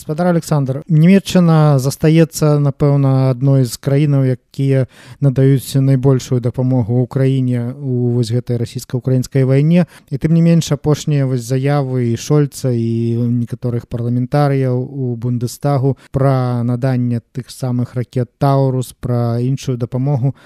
Гаспадар Александр, Нямецчына застаецца, напэўна, адной з краінаў, якія надаюць найбольшую дапамогу ўкраіне у вось гэтай расійска-украінскай вайне. І тым не менш апошнія вось заявы і Шольца, і некаторых парламентарыяў у Бундестагу пра наданне тых самых ракет «Таурус», пра іншую дапамогу,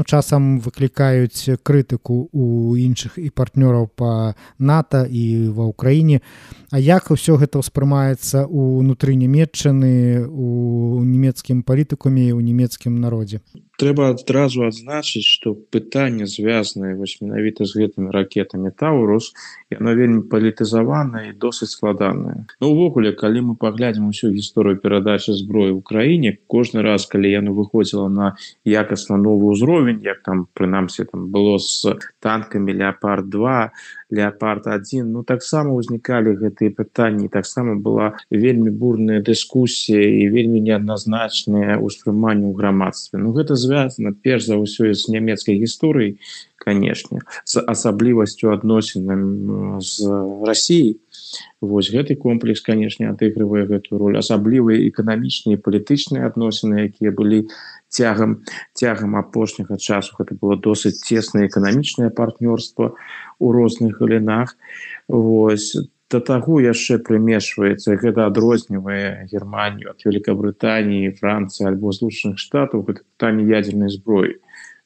часам выклікаюць крытыку у іншых і партнёраў па НАТО і ва ўкраіне. А як ўсё гэта ўспрымаецца ўнутры Нямецчыны, у нямецкім палітыкуме і ў нямецкім народзе? Трэба адразу адзначыць, што пытанне, звязанае менавіта з гэтымі ракетамі «Таурус», яно вельмі палітызаванае і досыць складанае. Увогуле, калі мы паглядзім усю гісторыю перадачы зброі ў краіне, кожны раз, калі яно выходзіла на якасна новы ўзровень, як там, прынамсі, было з танкамі «Леапард-2», «Леапард-1», таксама ўзнікалі гэтыя пытанні, таксама была вельмі бурная дыскусія і вельмі неадназначнае ўспрыманне ў грамадстве. Гэта звязана, перш за ўсё, з нямецкай гісторыяй, канешне, з асаблівасцю адносінам з Расіяй. Вось гэты комплекс, канешне, адыгрывае гэтую роль. Асаблівыя эканамічныя і палітычныя адносіны, якія былі цягам апошняга часу. Гэта было досыць цеснае эканамічнае партнёрства ў розных галінах. Вось. Да таго яшчэ прымешваецца, гэта адрознівае Германію ад Вялікабрытаніі, Францыі альбо Злучаных Штатаў, гэта пытанне ядзернай зброі.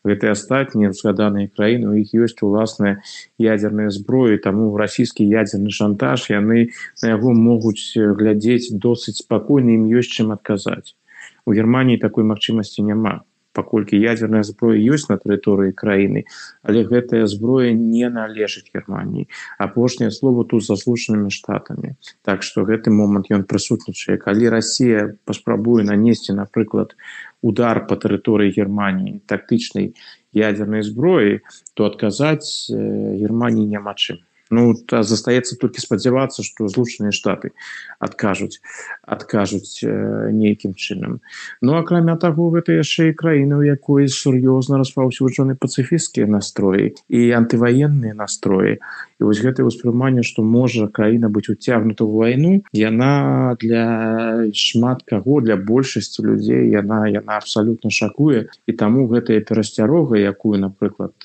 Гэтыя астатнія згаданыя краіны, у іх ёсць уласная ядзерная зброя, таму расійскі ядзерны шантаж, яны на яго могуць глядзець досыць спакойна, ім ёсць чым адказаць. У Германіі такой магчымасці няма, паколькі ядзерная зброя ёсць на тэрыторыі краіны, але гэтая зброя не належыць Германіі. Апошняе слово тут за Злучанымі Штатамі. Так што гэты момант ён прысутнічае. Калі Расія паспрабуе нанесці, напрыклад, удар по тэрыторыі Германіі тактычнай ядзернай зброі, то адказаць Германіі няма чым. Застаецца толькі спадзявацца, што Злучаныя Штаты адкажуць нейкім чынам. Акрамя таго, гэта яшчэ і краіна, у якой сур'ёзна распаўсюджаны пацыфісцкія настроі і антываенныя настроі. І вось гэтае ўспрыманне, што можа краіна быць уцягнута ў вайну, яна для шмат каго, для большасці людзей, яна абсалютна шакуе. І таму гэтая перасцярога, якую, напрыклад,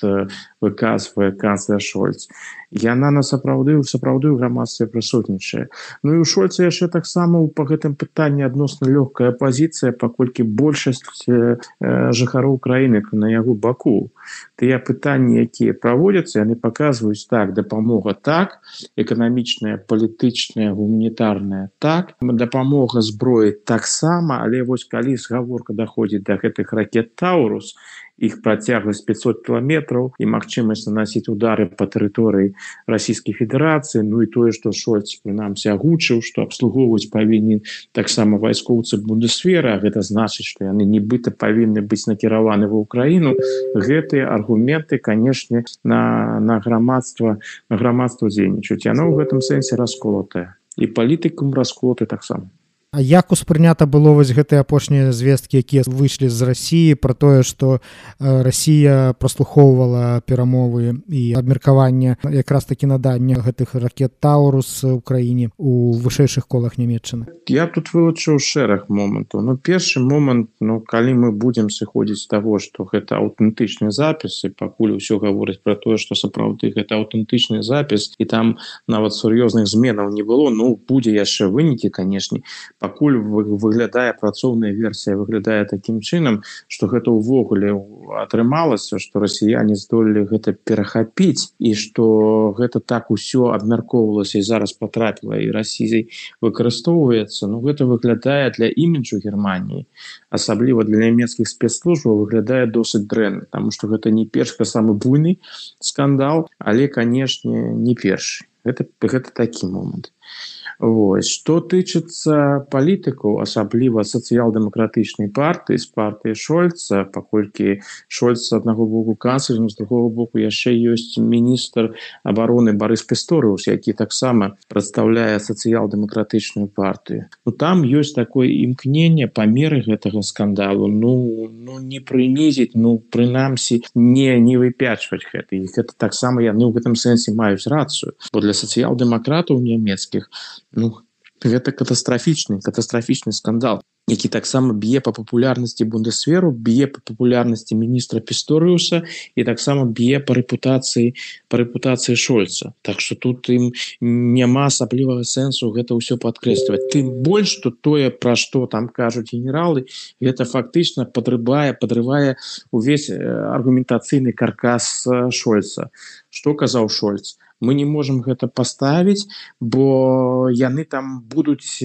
выказвае канцлер Шольц, яна сапраўды ў грамадстве прысутнічае. І у Шольца яшчэ таксама па гэтым пытанні адносна лёгкая пазіцыя, паколькі большасць жыхароў краіны на яго баку. Тыя пытанні, якія праводзяцца, яны паказваюць так, дапамога так, эканамічная, палітычная, гуманітарная так, дапамога зброі таксама, але вось калі згаворка даходзіць да гэтых ракет «Таурус», іх працягласць 500 кіламетраў і магчымасць наносіць удары па тэрыторыі Расійскай Федэрацыі, і тое, што Шольц, прынамсі, агучыў, што абслугоўваць павінны таксама вайскоўцы Бундесвера, а гэта значыць, што яны нібыта павінны быць накіраваны ва ўкраіну. Гэтыя аргументы, канешне, на грамадства дзейнічаюць. Яно ў гэтым сэнсе расколатае. І палітыкам расколаты таксама. А як успрынята было вось гэтыя апошнія звесткі, якія выйшлі з Расіі, пра тое, што Расія праслухоўвала перамовы і абмеркаванне якраз такі надання гэтых ракет «Таурус» у краіне у вышэйшых колах Нямецчыны? Я тут вылучыў шэраг момантаў. Першы момант, калі мы будзем сыходзіць з таго, што гэта аўтэнтычны запіс, і пакуль усё гаворыць пра тое, што сапраўды гэта аўтэнтычны запіс, і там нават сур'ёзных зменаў не было, будзе яшчэ вынікі, канешне. Пакуль выглядае працоўная версія, выглядае такім чынам, што гэта ўвогуле атрымалася, што расіяне здолелі гэта перахапіць, і што гэта так усё абмяркоўвалася і зараз патрапіла і Расіяй выкарыстоўваецца. Гэта выглядае для іміджу Германіі, асабліва для нямецкіх спецслужбаў, выглядае досыць дрэнна, таму што гэта не першы, самы буйны скандал, але, канешне, не першы. Гэта такі момант. Што тычыцца палітыкаў, асабліва сацыял-дэмакратычнай партыі, з партыі Шольца, паколькі Шольц з аднаго боку канцлер, з другого боку яшчэ ёсць міністр абароны Барыс Пісторыус, які таксама прадстаўляе сацыял-дэмакратычную партыю. Там ёсць такое імкненне па меры гэтага скандалу не прынізіць, прынамсі не выпячваць гэта. І гэта таксама яны ў гэтым сэнсе маюць рацыю. Бо для сацыял-дэмакратаў нямецкіх Гэта катастрафічны скандал, які таксама б'е па папулярнасці Бундесверу, б'е па папулярнасці міністра Пісторыуса і таксама б'е па рэпутацыі Шольца. Так што тут ім няма асаблівага сэнсу гэта ўсё падкрэсліваць. Тым больш, што тое, пра што там кажуць генералы, гэта фактычна подрывае увесь аргументацыйны каркас Шольца. Што казаў Шольц? Мы не можем гэта паставіць, бо яны там будуць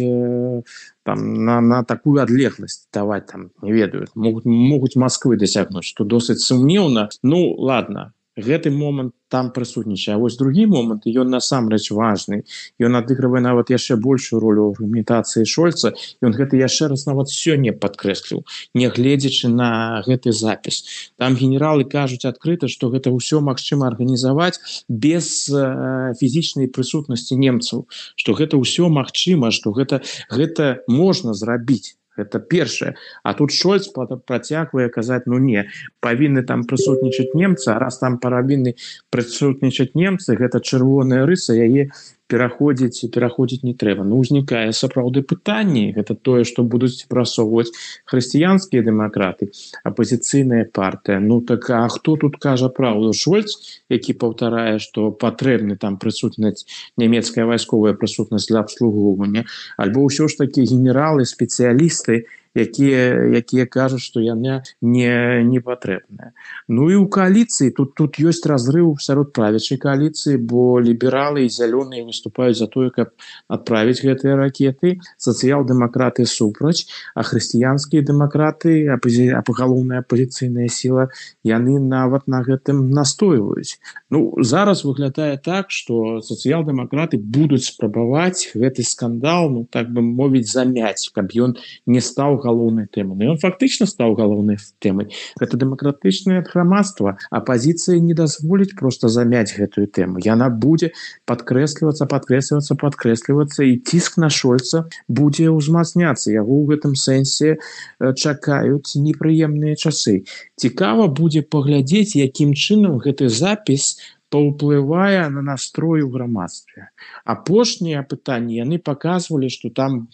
на такую адлегласць даваць, не ведаю, могуць Масквы дасягнуць, што досыць сумнеўна. Ну, ладно, гэты момант там прысутнічае. А вось другі момант, ён насамрэч важны. Ён адыгрывае нават яшчэ большую ролю ў аргументацыі Шольца. Ён гэта яшчэ раз нават сёння падкрэсліў, нягледзячы на гэты запіс. Там генералы кажуць адкрыта, што гэта ўсё магчыма арганізаваць без фізічнай прысутнасці немцаў, што гэта ўсё магчыма, што гэта можна зрабіць. Гэта першае. А тут Шольц працягвае казаць, ну не, павінны там прысутнічаць немцы, а раз там павінны прысутнічаць немцы, гэта чырвоная рыса, яе пераходзіць не трэба. Ну, узнікае сапраўды пытанне, гэта тое, што будуць прасоўваць хрысціянскія дэмакраты, апазіцыйная партыя. Ну так, а хто тут кажа праўду? Шольц, які паўтарае, што патрэбны там прысутнасць, нямецкая вайсковая прысутнасць для абслугоўвання, альбо ўсё ж такі генералы, спецыялісты, якія кажуць, што яна не патрэбная. Ну і ў кааліцыі тут ёсць разрыў сярод правячай кааліцыі, бо лібералы і зялёныя выступаюць за тое, каб адправіць гэтыя ракеты, сацыял-дэмакраты супраць, а хрысціянскія дэмакраты, галоўная апазіцыйная сіла, яны нават на гэтым настойваюць. Ну, зараз выглядае так, што сацыял-дэмакраты будуць спрабаваць гэты скандал, ну, так бы мовіць, замяць, каб ён не стаў галоўнай тэмай. Ён фактычна стаў галоўнай тэмай. Гэта дэмакратычнае грамадства. Апазіцыя не дазволіць проста замяць гэтую тэму. Яна будзе падкрэслівацца, і ціск на Шольца будзе ўзмацняцца. Яго ў гэтым сэнсе чакаюць непрыемныя часы. Цікава будзе паглядзець, якім чынам гэты запіс паўплывае на настрой у грамадстве. Апошнія пытанні, яны паказвалі, што там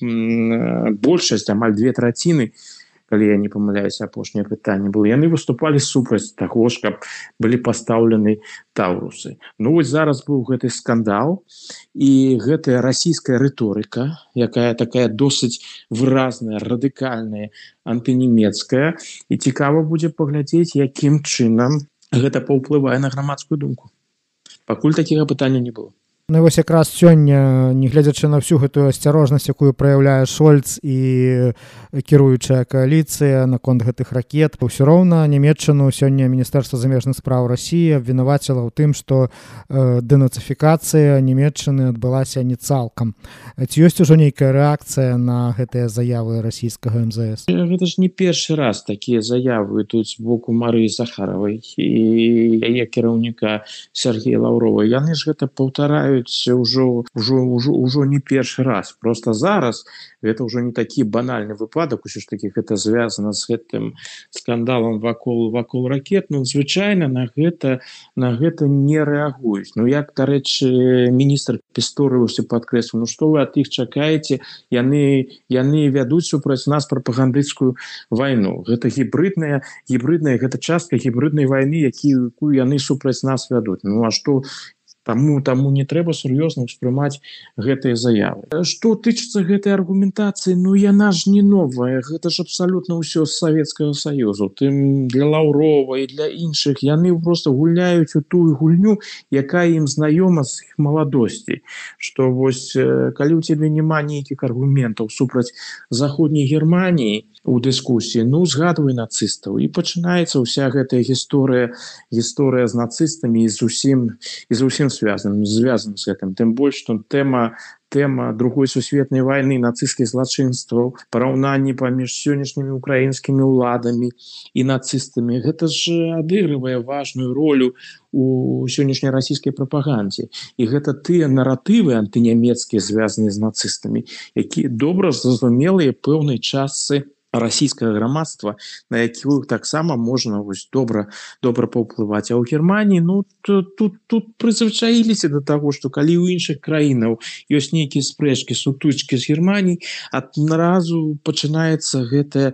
большасць, амаль 2/3, калі я не памыляюся, апошнія пытанні было, яны выступалі супраць таго ж, каб былі пастаўлены таўрусы. Ну вось зараз быў гэты скандал, і гэтая расійская рыторыка, якая такая досыць выразная, радыкальная, антынемецкая, і цікава будзе паглядзець, якім чынам гэта паўплывае на грамадскую думку. Пакуль такіх пытанняў не было. Ну і вось якраз сёння, нягледзячы на всю гэтую асцярожнасць, якую праяўляе Шольц і кіруючая кааліцыя наконт гэтых ракет, ўсё роўна Нямецчыну сёння Міністэрства замежных спраў Расіі абвінаваціла ў тым, што дэнацыфікацыя Нямецчыны адбылася не цалкам. Ці ёсць ужо нейкая рэакцыя на гэтыя заявы расійскага МЗС? Гэта ж не першы раз такія заявы ідуць з боку Марыі Захаравай і яе кіраўніка Сергея Лаўрова. Яны ж гэта паўтараюць ўжо не першы раз. Просто зараз гэта ўжо не такі банальны выпадак, усё ж такі гэта звязана з гэтым скандалам вакол ракет. Ну, звычайна на гэта не рэагуюць. Ну, як, дарэчы, міністр Пісторыус падкрэсліў, ну што вы ад іх чакаеце? Яны вядуць супраць нас прапагандысцкую вайну. Гэта гібридная, гэта частка гібриднай вайны, якую яны супраць нас вядуць. Ну, а што Таму не трэба сур'ёзна ўспрымаць гэтыя заявы. Што тычыцца гэтай аргументацыі, ну яна ж не новая, гэта ж абсалютна ўсё з Савецкага Саюзу. Тым для Лаўрова і для іншых яны проста гуляюць у тую гульню, якая ім знаёма з іх маладосці. Што вось калі ў цябе няма нейкіх аргументаў супраць заходняй Германіі у дыскусіі, ну згадвай нацыстаў. І пачынаецца ўся гэтая гісторыя з нацыстамі і зусім звязан з гэтым. Тым больш, што тэма другой сусветнай вайны, нацысцкіх злачынстваў, параўнанні паміж сённяшнімі украінскімі ўладамі і нацыстамі, гэта ж адыгрывае важную ролю у сённяшняй расійскай прапагандзе. І гэта тыя наратывы антынямецкія, звязаныя з нацыстамі, якія добра зразумелыя пэўнай частцы расійскае грамадства, на якіх таксама можна добра паўплываць. А ў Германії тут прызвычаіліся да таго, што калі ў іншых краінаў ёсць нейкія спрэчкі, сутычкі з Германіяй, адразу пачынаецца гэтая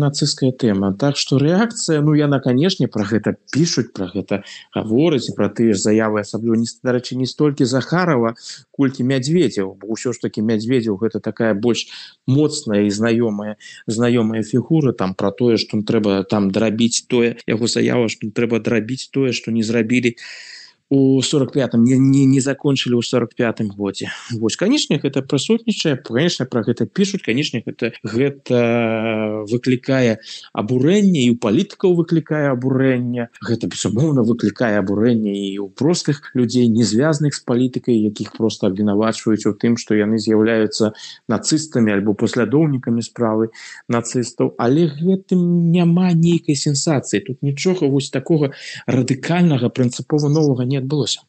нацысцкая тэма. Так што рэакцыя, яна, канешне, пра гэта пішуць, пра гэта гавораць, пра тыя ж заявы, асабліва, дарэчы, не столькі Захарова, колькі Мядзведзеў, бо ўсё ж такі Мядзведзеў гэта такая больш моцная і знаёмая фігура, там пра тое, што трэба там драбіць тое, яго заява, што трэба драбіць тое, што не зрабілі у 45-м, не закончылі ў 45-м годзе. Вось, канешне, гэта прысутнічае, канешне, пра гэта пішуць, канешне, гэта выклікае абурэнне, і ў палітыкаў выклікае абурэнне, гэта, безумоўна, выклікае абурэнне і ў простых людзей, не звязаных з палітыкай, якіх проста абвінавачваюць у тым, што яны з'яўляюцца нацыстамі альбо паслядоўнікамі справы нацыстаў, але гэтым няма нейкай сенсацыі, тут нічога вось такога радыкальнага, прынцыпова новага не адбылося.